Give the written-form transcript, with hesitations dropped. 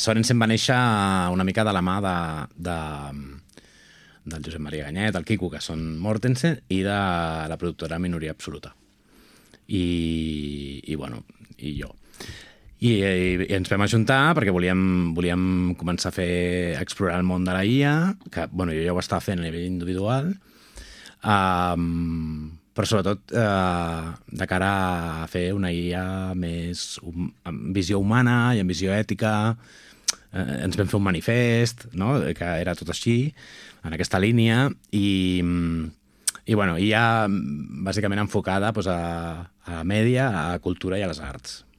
Sorensen va néixer una mica de la mà del Josep Maria Ganyet, el Quico, que són Mortensen, i de la productora Minoria Absoluta. I jo. I ens vam ajuntar perquè volíem començar a explorar el món de la IA, que jo ja ho estava fent a nivell individual, però sobretot de cara a fer una IA més amb visió humana i amb visió ètica. Ens vam fer un manifest, no?, que era tot així, en aquesta línia, i ja bàsicament enfocada a la mèdia, a la cultura i a les arts.